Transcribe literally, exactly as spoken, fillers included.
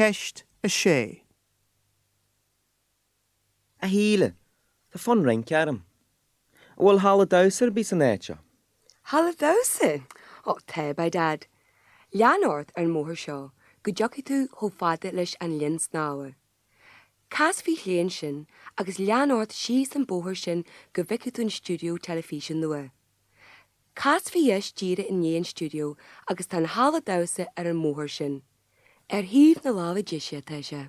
Ceist a sé. A Shíle, Tá fonn rince orm. An bhfuil halla damhsa ar bith san áit seo. Halla damhsa? Ó tá by dad. Lean ort ar an mbóthar seo go dtiocfaidh tú chomh fada leis an linn snámha. Cas faoi chlé ansin agus lean ort síos an bóthar sin go bhfeicfidh tú an stiúideo teilifíse nua. Cas faoi dheis díreach i ndiaidh an stiúideo agus tá an halla damhsa ar an mbóthar sin. Ar thaobh na láimhe deise atá sé.